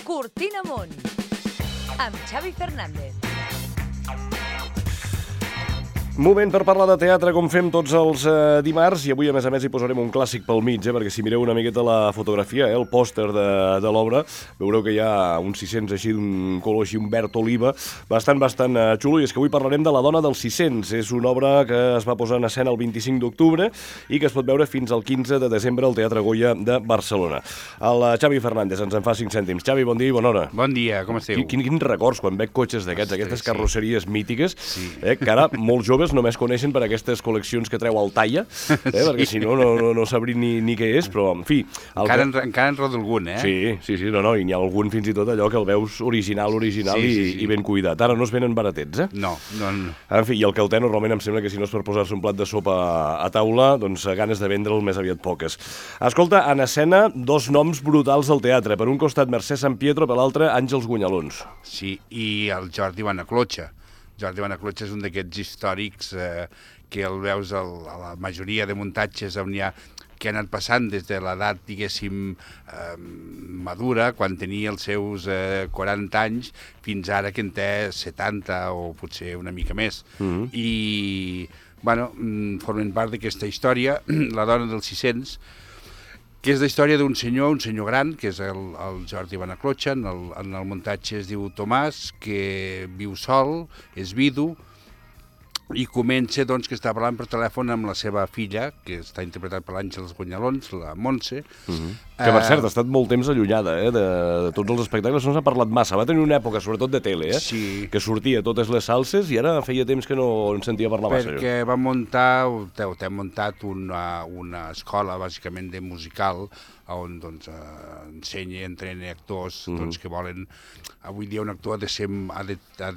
Cortina Amunt, amb Xavi Fernández. Moment per parlar de teatre, com fem tots els dimarts, i avui, a més, hi posarem un clàssic pel mig, perquè si mireu una miqueta la fotografia, el pòster de l'obra, veureu que hi ha uns 600 així, d'un color així, un verd oliva, bastant xulo, i és que avui parlarem de La dona dels 600. És una obra que es va posar en escena el 25 d'octubre i que es pot veure fins al 15 de desembre al Teatre Goya de Barcelona. El Xavi Fernández ens en fa 5 cèntims. Xavi, bon dia i bona hora. Bon dia, com esteu? Quins records quan veig cotxes d'aquests, aquestes carrosseries mítiques, que ara molts joves només coneixen per aquestes col·leccions que treu al Talla, perquè si no sabrin ni què és, però en fi... Encara en roda algun, eh? Sí, i n'hi ha algun fins i tot allò que el veus original i ben cuidat. Ara no es venen baratets, eh? No. En fi, i el cauter normalment em sembla que si no és per posar-se un plat de sopa a taula, doncs ganes de vendre'l més aviat poques. Escolta, en escena, dos noms brutals al teatre. Per un costat Mercè Sampietro, per l'altre Àngels Guanyalons. Sí, i el Jordi Banaclotxa. Jordi Banaclotxa és un d'aquests històrics que el veus a la majoria de muntatges on hi ha, que ha anat passant des de l'edat, diguéssim, madura, quan tenia els seus 40 anys, fins ara que en té 70 o potser una mica més. I, bueno, formen part d'aquesta història, La dona dels 600, que és la història d'un senyor gran, que és el Jordi Banaclotxa, en el muntatge es diu Tomàs, que viu sol, és vidu, i comença doncs, que està parlant per telèfon amb la seva filla, que està interpretat per l'Àngels Guanyalons, la Montse. Que, per cert, ha estat molt temps allunyada de tots els espectacles, no s'ha parlat massa. Va tenir una època, sobretot de tele, que sortia totes les salses i ara feia temps que no en sentia parlar massa. Perquè va muntar, t'hem muntat una escola, bàsicament, de musical, on ensenya i entrena actors que volen... Avui dia un actor ha de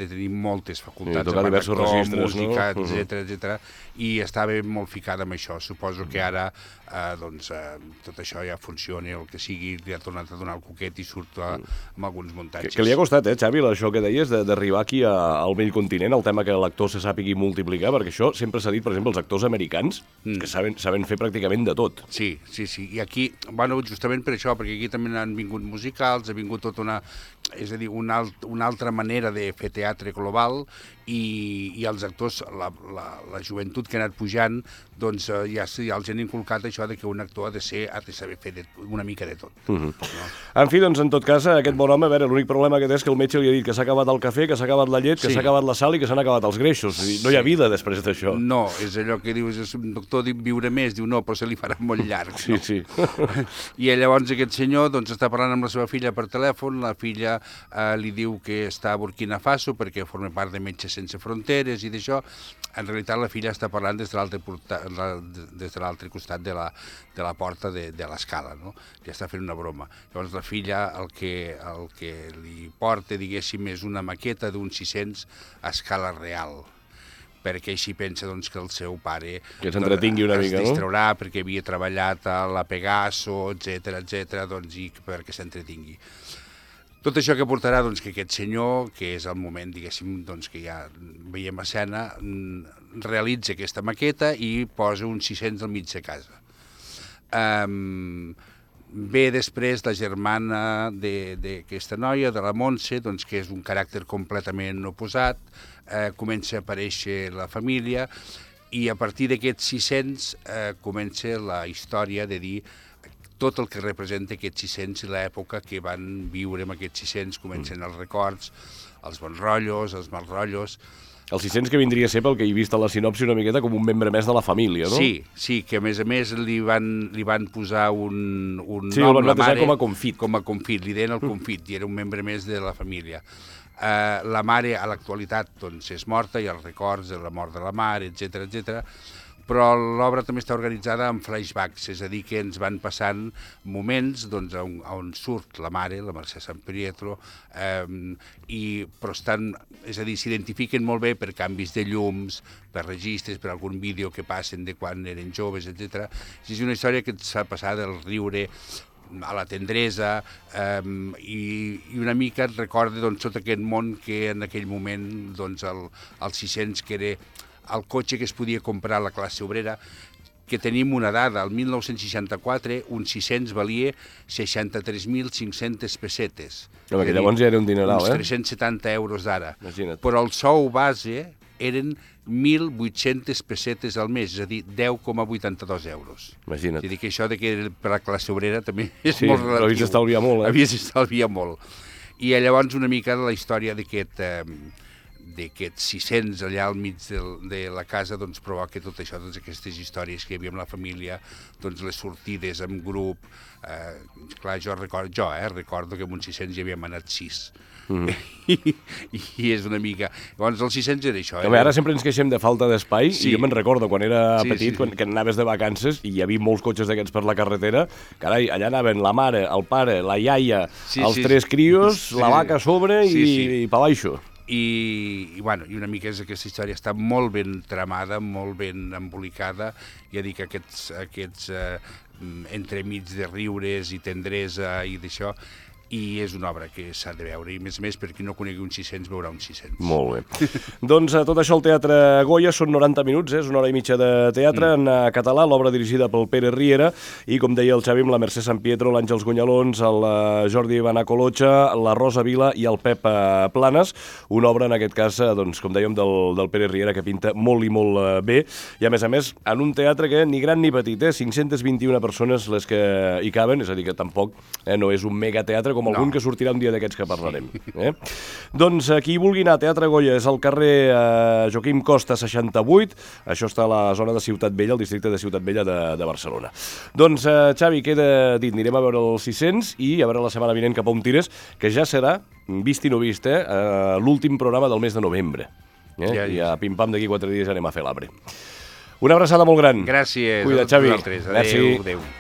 tenir moltes facultats, tocar diversos registres, música, etc. I estava molt ficada amb això. Suposo que ara tot això ja funciona, el que sigui, li ha tornat a donar el coquet i surt amb alguns muntatges. Que li ha costat, Xavi, això que deies, d'arribar aquí al vell continent, el tema que l'actor se sàpigui multiplicar, perquè això sempre s'ha dit, per exemple, els actors americans, que saben fer pràcticament de tot. Sí. I aquí, bueno, justament per això, perquè aquí també han vingut musicals, ha vingut tota una altra manera de fer teatre global, i els actors, la joventut que ha anat pujant, doncs ja els han inculcat això de que un actor ha de saber fer una mica de tot. En fi, doncs, en tot cas, aquest bon home, a veure, l'únic problema que té és que el metge li ha dit que s'ha acabat el cafè, que s'ha acabat la llet, que s'ha acabat la sal i que s'han acabat els greixos. No hi ha vida després d'això. No, és allò que dius, un doctor diu viure més, diu no, però se li farà molt llarg. Sí. I llavors aquest senyor està parlant amb la seva filla per telèfon, la filla li diu que està a Burkina Faso perquè forma part de Metges Sense Fronteres i d'això. En realitat la filla està parlant des de l'altre costat de la porta de l'escala, no? Ja està fent una broma. Llavors la filla el que li porta, diguéssim, és una maqueta d'un 600 a escala real, perquè així pensa que el seu pare que s'entretingui una mica, no? Es distraurà perquè havia treballat a la Pegaso, etc., i perquè s'entretingui. Tot això que portarà que aquest senyor, que és el moment, diguéssim, que ja veiem a escena, realitza aquesta maqueta i posa uns 600 al mig de casa. Ve després la germana d'aquesta noia, de la Montse, que és un caràcter completament oposat, comença a aparèixer la família, i a partir d'aquests 600 comença la història de dir tot el que representa aquests 600 i l'època que van viure amb aquests 600, comencen els records, els bons rotllos, els mals rotllos. Els 600 que vindria a ser, pel que he vist a la sinopsi, una miqueta com un membre més de la família, no? Sí, que a més li van posar un nom, el van batejar com a confit. Com a confit, li deien el confit, i era un membre més de la família. La mare a l'actualitat és morta, i els records de la mort de la mare, etc. Però l'obra també està organitzada en flashbacks, és a dir, que ens van passant moments on surt la mare, la Mercè Sampietro, però s'identifiquen molt bé per canvis de llums, per registres, per algun vídeo que passen de quan eren joves, etc. És una història que ens fa passar del riure a la tendresa, i una mica et recorda tot aquest món que en aquell moment els 600, que era el cotxe que es podia comprar a la classe obrera, que tenim una dada. El 1964 un 600 valia 63.500 pessetes. Home, que llavors ja era un dineral, uns 370 euros d'ara. Imagina't. Però el sou base eren 1.800 pessetes al mes, és a dir, 10,82 euros. Imagina't. És a dir, que això de que per la classe obrera també és Sí, molt relatiu. però havies d'estalviar molt, eh? Havies d'estalviar molt. I llavors una mica de la història d'aquests 600 allà al mig de la casa doncs provoca tot això, totes aquestes històries que hi havia amb la família, doncs les sortides en grup. Clar, recordo que amb uns 600 hi havíem anat 6. I és una mica... Llavors els 600 era això. Home, ara sempre ens queixem de falta d'espai, Sí. i jo me'n recordo quan era Sí, petit, sí. que anaves de vacances i hi havia molts cotxes d'aquests per la carretera, carai, allà anaven la mare, el pare, la iaia, els Sí, tres sí. crios, Sí, la vaca a sobre sí, sí. i pa baixo. I una mica és aquesta història està molt ben tramada, molt ben embolicada. Ja dic, aquests entremig de riures i tendresa i d'això, i és una obra que s'ha de veure, i més per qui no conegui un 600 veurà un 600. Molt bé. Doncs tot això al Teatre Goya són 90 minuts, és una hora i mitja de teatre en català, l'obra dirigida pel Pere Riera, i com deia el Xavi, amb la Mercè San Pietro, l'Àngels Gunyalons, el Jordi Banacolocha, la Rosa Vila i el Pep Planes, una obra en aquest cas, doncs, com dèiem, del Pere Riera, que pinta molt i molt bé, i a més, en un teatre que ni gran ni petit, 521 persones les que hi caben, és a dir, que tampoc no és un megateatre com algun que sortirà un dia d'aquests que parlarem. Doncs qui vulgui anar a Teatre Goya és al carrer Joaquim Costa 68, això està a la zona de Ciutat Vella, al districte de Ciutat Vella de Barcelona. Doncs, Xavi, queda dit, anirem a veure els 600 i a veure la setmana vinent cap a on tires, que ja serà, vist i no vist, l'últim programa del mes de novembre. I a pim-pam d'aquí 4 dies anem a fer l'arbre. Una abraçada molt gran. Gràcies. Cuida't, Xavi. A vosaltres. Adéu. Merci. Adéu.